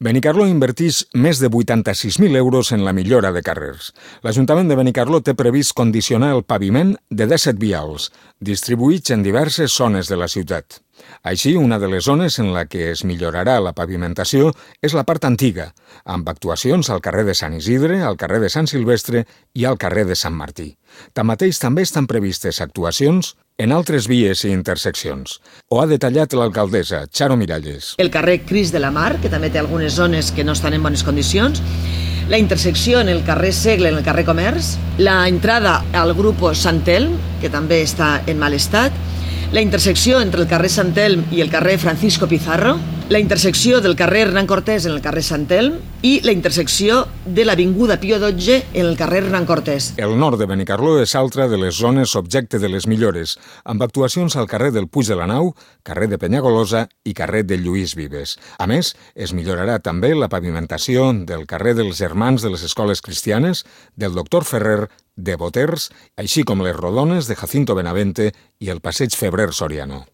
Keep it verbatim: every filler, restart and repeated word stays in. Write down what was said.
Benicarló inverteix més de vuitanta-sis mil euros en la millora de carrers. L'Ajuntament de Benicarló té previst condicionar el paviment de disset vials, distribuïts en diverses zones de la ciutat. Així, una de les zones en la que es millorarà la pavimentació és la part antiga, amb actuacions al carrer de Sant Isidre, al carrer de Sant Silvestre i al carrer de Sant Martí. Tanmateix, també estan previstes actuacions en altres vies i interseccions. Ho ha detallat l'alcaldessa, Charo Miralles. El carrer Cris de la Mar, que també té algunes zones que no estan en bones condicions, la intersecció en el carrer Segle, en el carrer Comerç, la entrada al grupo Sant Elm, que també està en mal estat, la intersecció entre el carrer Sant Elm i el carrer Francisco Pizarro, la intersecció del carrer Hernán Cortés en el carrer Sant Elm i la intersecció de l'avinguda Pío dotze en el carrer Hernán Cortés. El nord de Benicarló és altra de les zones objecte de les millores, amb actuacions al carrer del Puig de la Nau, carrer de Penyagolosa i carrer de Lluís Vives. A més, es millorarà també la pavimentació del carrer dels Germans de les Escoles Cristianes, del Doctor Ferrer, de Boters, així com les rodones de Jacinto Benavente i el passeig Febrer Soriano.